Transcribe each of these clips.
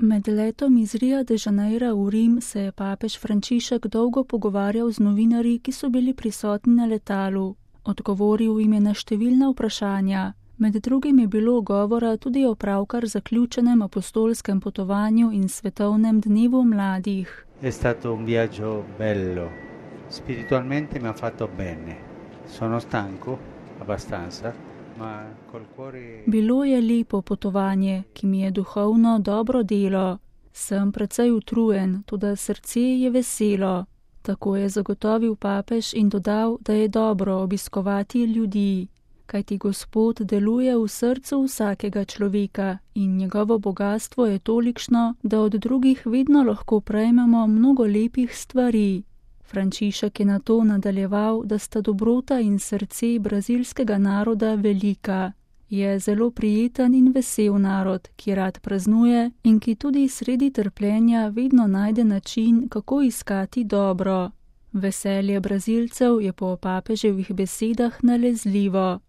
Med letom iz Ria de Janeira v Rim se je papež Frančišek dolgo pogovarjal z novinarji, ki so bili prisotni na letalu. Odgovoril jim je na številna vprašanja. Med drugim je bilo govora tudi o pravkar zaključenem apostolskem potovanju in svetovnem dnevu mladih. È stato un viaggio bello. Spiritualmente mi ha fatto bene. Sono stanco abbastanza, ma col cuore. Bilo je lepo potovanje, ki mi je duhovno dobro delo. Sem precej utrujen, toda srce je veselo. Tako je zagotovil papež in dodal, da je dobro obiskovati ljudi, kajti Gospod deluje v srcu vsakega človeka in njegovo bogastvo je tolikšno, da od drugih vedno lahko prejmemo mnogo lepih stvari. Frančišek je nato nadaljeval, da sta dobrota in srce brazilskega naroda velika. Je zelo prijeten in vesel narod, ki rad praznuje in ki tudi sredi trpljenja vedno najde način, kako iskati dobro. Veselje Brazilcev je po papeževih besedah nalezljivo.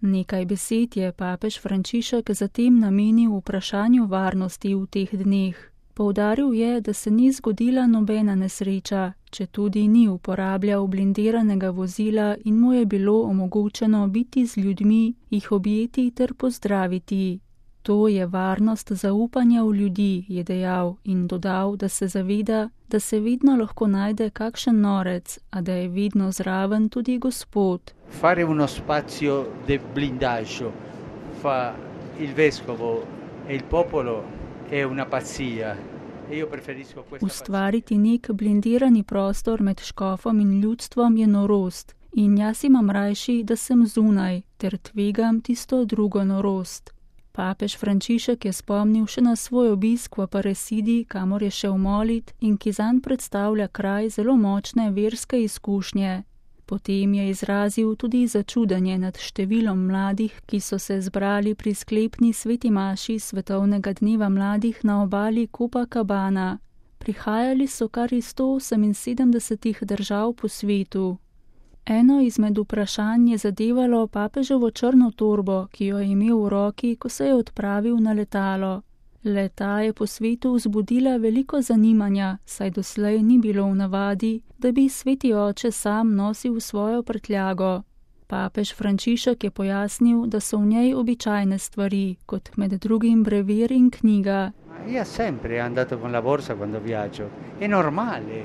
Nekaj besed je papež Frančišek zatem namenil vprašanju varnosti v teh dneh. Poudaril je, da se ni zgodila nobena nesreča, četudi ni uporabljal blindiranega vozila in mu je bilo omogočeno biti z ljudmi, jih objeti ter pozdraviti. To je varnost zaupanja v ljudi, je dejal in dodal, da se zaveda, da se vedno lahko najde kakšen norec, a da je vedno zraven tudi Gospod. Fare uno spazio de blindaggio fa il vescovo e il popolo è una pazzia. Ustvariti nek blindirani prostor med škofom in ljudstvom je norost in jaz imam rajši, da sem zunaj, ter tvegam tisto drugo norost. Papež Frančišek je spomnil še na svoj obisk v Aparecidi, kamor je šel molit in ki zanj predstavlja kraj zelo močne verske izkušnje. Potem je izrazil tudi začudenje nad številom mladih, ki so se zbrali pri sklepni sveti maši svetovnega dneva mladih na obali Copacabana. Prihajali so kar iz 178 držav po svetu. Eno izmed vprašanj je zadevalo papeževo črno torbo, ki jo je imel v roki, ko se je odpravil na letalo. Le-ta je po svetu vzbudila veliko zanimanja, saj doslej ni bilo v navadi, da bi sveti oče sam nosil svojo prtljago. Papež Frančišek je pojasnil, da so v njej običajne stvari, kot med drugim brevier in knjiga. Io sempre andato con la borsa quando viaggio. È normale.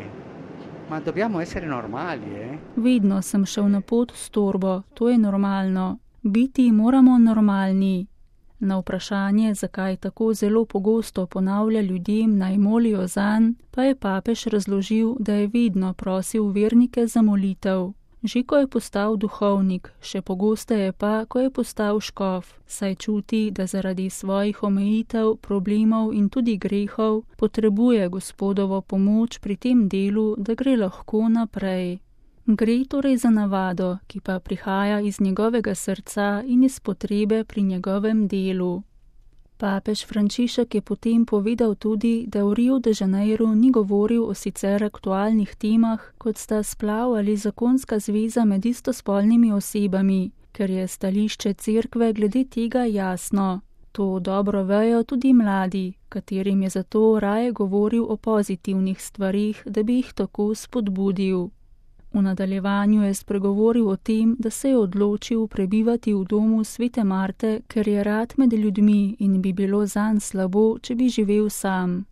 Ma dobbiamo essere normali, Vedno sem šel na pot s torbo, to je normalno. Biti moramo normalni. Na vprašanje, zakaj tako zelo pogosto ponavlja ljudem, naj molijo zanj, pa je papež razložil, da je vedno prosil vernike za molitev. Že ko je postal duhovnik, še pogosteje pa, ko je postal škof, saj čuti, da zaradi svojih omejitev, problemov in tudi grehov potrebuje Gospodovo pomoč pri tem delu, da gre lahko naprej. Gre torej za navado, ki pa prihaja iz njegovega srca in iz potrebe pri njegovem delu. Papež Frančišek je potem povedal tudi, da v Riu de Janeiru ni govoril o sicer aktualnih temah, kot sta splav ali zakonska zveza med istospolnimi osebami, ker je stališče cerkve glede tega jasno. To dobro vejo tudi mladi, katerim je zato raje govoril o pozitivnih stvarih, da bi jih tako spodbudil. V nadaljevanju je spregovoril o tem, da se je odločil prebivati v domu svete Marte, ker je rad med ljudmi in bi bilo zanj slabo, če bi živel sam.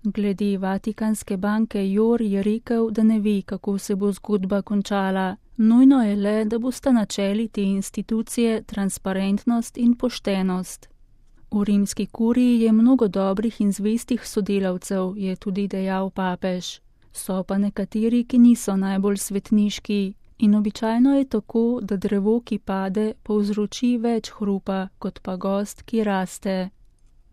Glede Vatikanske banke Jor je rekel, da ne ve, kako se bo zgodba končala. Nujno je le, da bosta načeli te institucije transparentnost in poštenost. V rimski kuriji je mnogo dobrih in zvestih sodelavcev, je tudi dejal papež. So pa nekateri, ki niso najbolj svetniški in običajno je tako, da drevo, ki pade, povzroči več hrupa, kot pa gozd, ki raste.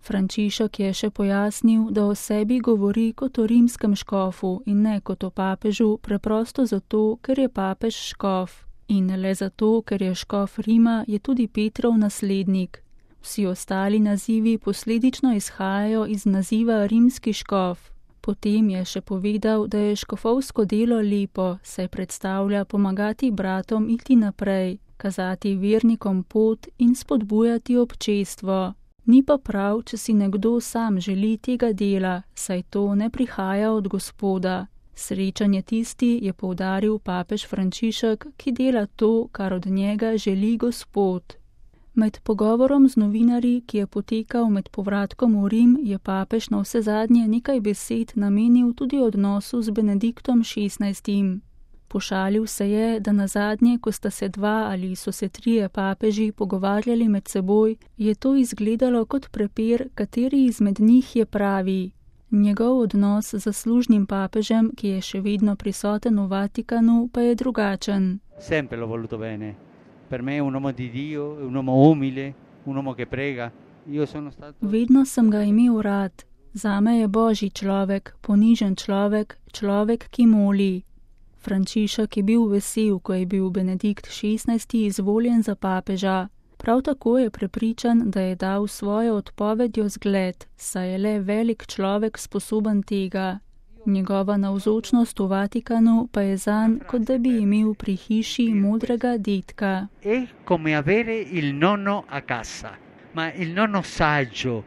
Frančišek je še pojasnil, da o sebi govori kot o rimskem škofu in ne kot o papežu, preprosto zato, ker je papež škof. In le zato, ker je škof Rima, je tudi Petrov naslednik. Vsi ostali nazivi posledično izhajajo iz naziva rimski škof. Potem je še povedal, da je škofovsko delo lepo, saj predstavlja pomagati bratom iti naprej, kazati vernikom pot in spodbujati občestvo. Ni pa prav, če si nekdo sam želi tega dela, saj to ne prihaja od Gospoda. Srečen je tisti, je poudaril papež Frančišek, ki dela to, kar od njega želi Gospod. Med pogovorom z novinarji, ki je potekal med povratkom v Rim, je papež na vse zadnje nekaj besed namenil tudi odnosu z Benediktom XVI. Pošalil se je, da nazadnje, ko sta se dva ali so se trije papeži pogovarjali med seboj, je to izgledalo kot prepir, kateri izmed njih je pravi. Njegov odnos z zaslužnim papežem, ki je še vedno prisoten v Vatikanu, pa je drugačen. Sempre l'ho voluto bene. Per me è un uomo di Dio, è un uomo umile, un uomo che prega. Io sono stato... Vedno sem ga imel rad. Zame je božji človek, ponižen človek, človek, ki moli. Frančišek je bil vesel, ko je bil Benedikt XVI. Izvoljen za papeža. Prav tako je prepričan, da je dal svojo odpovedjo zgled, saj je le velik človek sposoben tega. Njegova navzočnost v Vatikanu pa je zanj, kot da bi imel pri hiši modrega dedka. È come avere il nonno a casa, ma il nonno saggio,